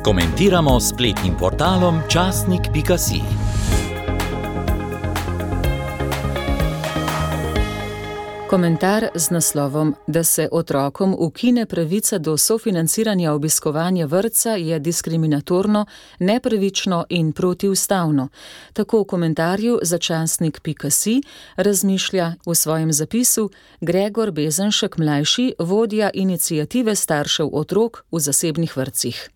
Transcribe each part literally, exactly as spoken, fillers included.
Komentiramo s spletnim portalom časnik pika si. Komentar z naslovom, da se otrokom ukine pravica do sofinanciranja obiskovanja vrtca, je diskriminatorno, nepravično in protiustavno. Tako v komentarju za časnik pika si razmišlja v svojem zapisu Gregor Bezenšek mlajši, vodja iniciative staršev otrok v zasebnih vrtcih.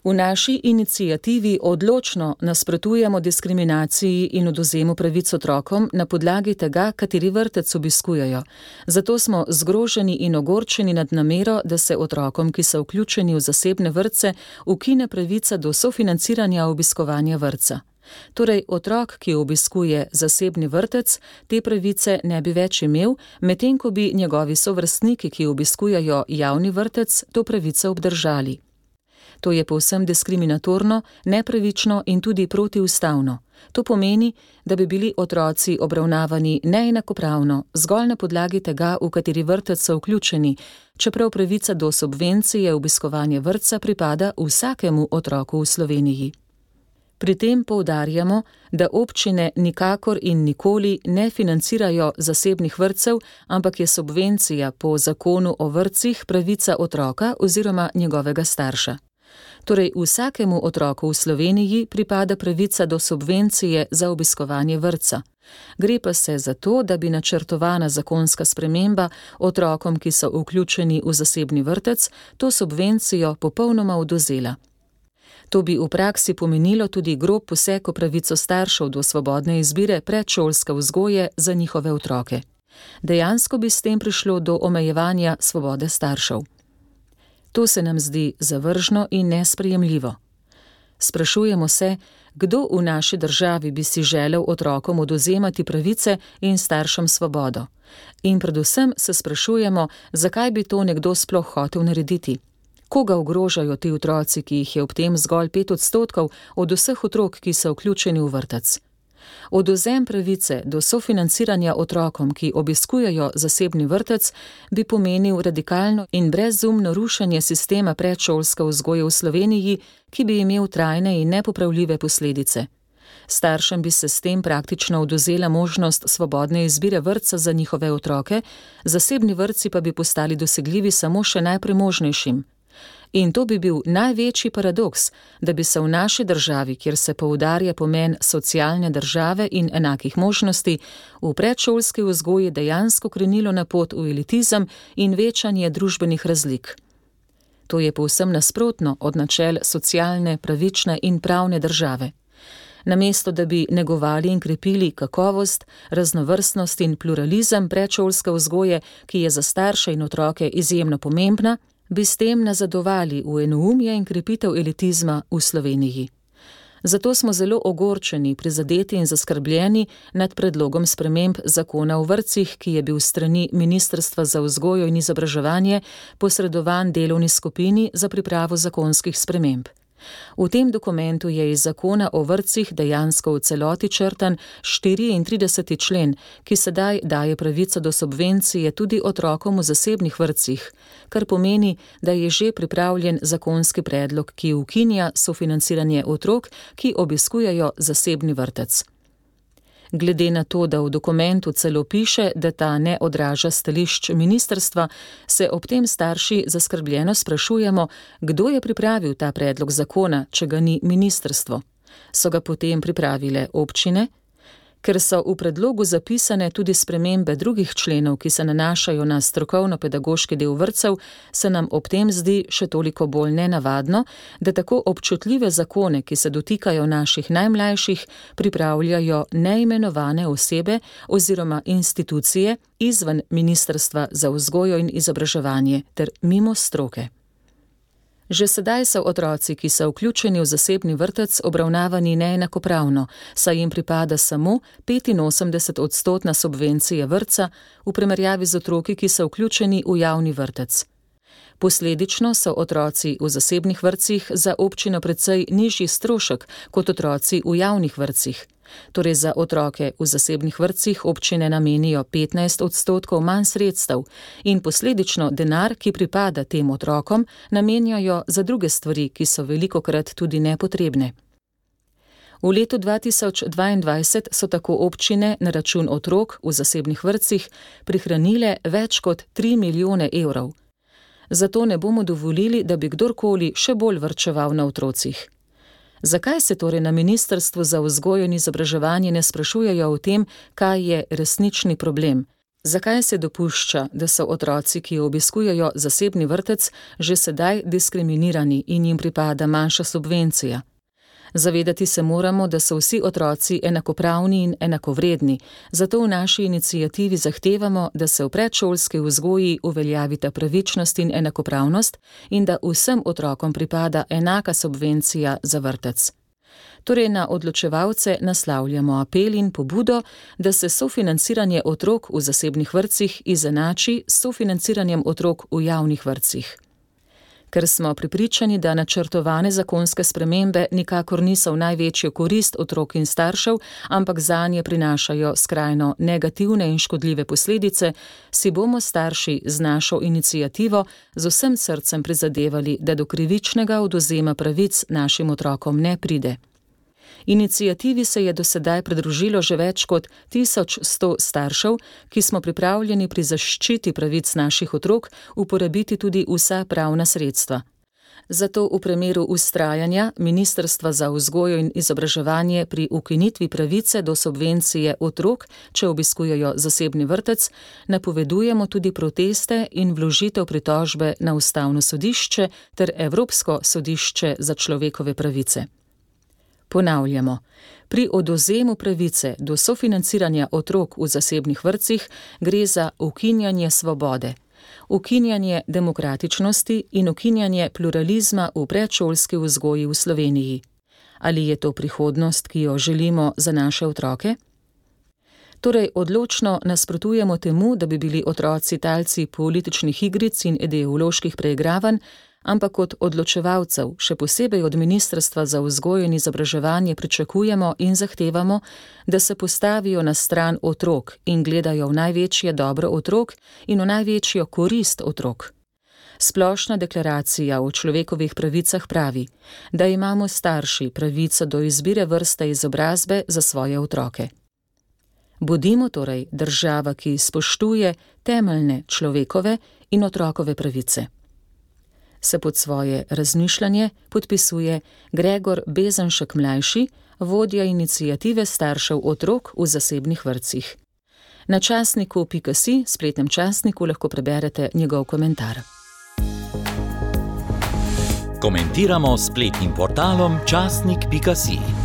V naši iniciativi odločno nasprotujemo diskriminaciji in odvzemu pravic otrokom na podlagi tega, kateri vrtec obiskujejo. Zato smo zgroženi in ogorčeni nad namero, da se otrokom, ki so vključeni v zasebne vrtce, ukine pravica do sofinanciranja obiskovanja vrtca. Torej, otrok, ki obiskuje zasebni vrtec, te pravice ne bi več imel, medtem ko bi njegovi sovrstniki, ki obiskujejo javni vrtec, to pravico obdržali. To je povsem diskriminatorno, nepravično in tudi protiustavno. To pomeni, da bi bili otroci obravnavani neenakopravno, zgolj na podlagi tega, v kateri vrtec so vključeni, čeprav pravica do subvencije obiskovanja vrtca pripada vsakemu otroku v Sloveniji. Pri tem poudarjamo, da občine nikakor in nikoli ne financirajo zasebnih vrtcev, ampak je subvencija po zakonu o vrtcih pravica otroka oziroma njegovega starša. Torej, vsakemu otroku v Sloveniji pripada pravica do subvencije za obiskovanje vrtca. Gre pa se za to, da bi načrtovana zakonska sprememba otrokom, ki so vključeni v zasebni vrtec, to subvencijo popolnoma odvzela. To bi v praksi pomenilo tudi grob poseg v pravico staršev do svobodne izbire predšolske vzgoje za njihove otroke. Dejansko bi s tem prišlo do omejevanja svobode staršev. To se nam zdi zavržno in nesprejemljivo. Sprašujemo se, kdo v naši državi bi si želel otrokom odvzemati pravice in staršem svobodo. In predvsem se sprašujemo, zakaj bi to nekdo sploh hotel narediti. Koga ogrožajo ti otroci, ki jih je ob tem zgolj pet odstotkov od vseh otrok, ki so vključeni v vrtec? Odvzem pravice do sofinanciranja otrokom, ki obiskujejo zasebni vrtec, bi pomenil radikalno in brezumno rušenje sistema predšolske vzgoje v Sloveniji, ki bi imel trajne in nepopravljive posledice. Staršem bi se s tem praktično odvzela možnost svobodne izbire vrtca za njihove otroke, zasebni vrtci pa bi postali dosegljivi samo še najpremožnejšim. In to bi bil največji paradoks, da bi se v naši državi, kjer se poudarja pomen socialne države in enakih možnosti, v predšolski vzgoji dejansko krenilo na pot v elitizem in večanje družbenih razlik. To je povsem nasprotno od načel socialne, pravične in pravne države. Namesto da bi negovali in krepili kakovost, raznovrstnost in pluralizem predšolske vzgoje, ki je za starše in otroke izjemno pomembna, bi s tem nazadovali v enoumje in krepitev elitizma v Sloveniji. Zato smo zelo ogorčeni, prizadeti in zaskrbljeni nad predlogom sprememb zakona o vrtcih, ki je bil s strani Ministrstva za vzgojo in izobraževanje posredovan delovni skupini za pripravo zakonskih sprememb. V tem dokumentu je iz zakona o vrtcih dejansko v celoti črtan štiriintrideseti člen, ki sedaj daje pravico do subvencije tudi otrokom v zasebnih vrtcih, kar pomeni, da je že pripravljen zakonski predlog, ki ukinja sofinanciranje otrok, ki obiskujejo zasebni vrtec. Glede na to, da v dokumentu celo piše, da ta ne odraža stališč ministrstva, se ob tem starši zaskrbljeno sprašujemo, kdo je pripravil ta predlog zakona, če ga ni ministrstvo. So ga potem pripravile občine? Ker so v predlogu zapisane tudi spremembe drugih členov, ki se nanašajo na strokovno-pedagoški del vrtcev, se nam ob tem zdi še toliko bolj nenavadno, da tako občutljive zakone, ki se dotikajo naših najmlajših, pripravljajo neimenovane osebe oziroma institucije izven Ministrstva za vzgojo in izobraževanje ter mimo stroke. Že sedaj so otroci, ki so vključeni v zasebni vrtec, obravnavani neenakopravno, saj jim pripada samo petinosemdeset odstotna subvencija vrtca v primerjavi z otroki, ki so vključeni v javni vrtec. Posledično so otroci v zasebnih vrtcih za občino precej nižji strošek kot otroci v javnih vrtcih. Torej za otroke v zasebnih vrtcih občine namenijo petnajst odstotkov manj sredstev in posledično denar, ki pripada tem otrokom, namenjajo za druge stvari, ki so velikokrat tudi nepotrebne. V letu dva tisoč dvaindvajset so tako občine na račun otrok v zasebnih vrtcih prihranile več kot tri milijone evrov. Zato ne bomo dovolili, da bi kdorkoli še bolj varčeval na otrocih. Zakaj se torej na Ministrstvu za vzgojo in izobraževanje ne sprašujejo o tem, kaj je resnični problem? Zakaj se dopušča, da so otroci, ki obiskujejo zasebni vrtec, že sedaj diskriminirani in jim pripada manjša subvencija? Zavedati se moramo, da so vsi otroci enakopravni in enakovredni, zato v naši iniciativi zahtevamo, da se v predšolski vzgoji uveljavita pravičnost in enakopravnost in da vsem otrokom pripada enaka subvencija za vrtec. Torej na odločevalce naslavljamo apel in pobudo, da se sofinanciranje otrok v zasebnih vrtcih izenači s sofinanciranjem otrok v javnih vrtcih. Ker smo prepričani, da načrtovane zakonske spremembe nikakor niso v največjo korist otrok in staršev, ampak zanje prinašajo skrajno negativne in škodljive posledice, si bomo starši z našo iniciativo z vsem srcem prizadevali, da do krivičnega odvzema pravic našim otrokom ne pride. Iniciativi se je do sedaj pridružilo že več kot tisoč sto staršev, ki smo pripravljeni pri zaščiti pravic naših otrok uporabiti tudi vsa pravna sredstva. Zato v primeru vztrajanja Ministrstva za vzgojo in izobraževanje pri ukinitvi pravice do subvencije otrok, če obiskujejo zasebni vrtec, napovedujemo tudi proteste in vložitev pritožbe na Ustavno sodišče ter Evropsko sodišče za človekove pravice. Ponavljamo, pri odvzemu pravice do sofinanciranja otrok v zasebnih vrtcih gre za ukinjanje svobode, ukinjanje demokratičnosti in ukinjanje pluralizma v predšolski vzgoji v Sloveniji. Ali je to prihodnost, ki jo želimo za naše otroke? Torej odločno nasprotujemo temu, da bi bili otroci talci političnih igric in ideoloških preigravanj, ampak od odločevalcev, še posebej od Ministrstva za vzgojo in izobraževanje pričakujemo in zahtevamo, da se postavijo na stran otrok in gledajo v največje dobro otrok in v največjo korist otrok. Splošna deklaracija o človekovih pravicah pravi, da imamo starši pravico do izbire vrste izobrazbe za svoje otroke. Bodimo torej država, ki spoštuje temeljne človekove in otrokove pravice. Se pod svoje razmišljanje podpisuje Gregor Bezenšek mlajši, vodja iniciative staršev otrok v zasebnih vrtcih. Na časniku pika si, spletnem časniku, lahko preberete njegov komentar. Komentiramo s spletnim portalom časnik pika si.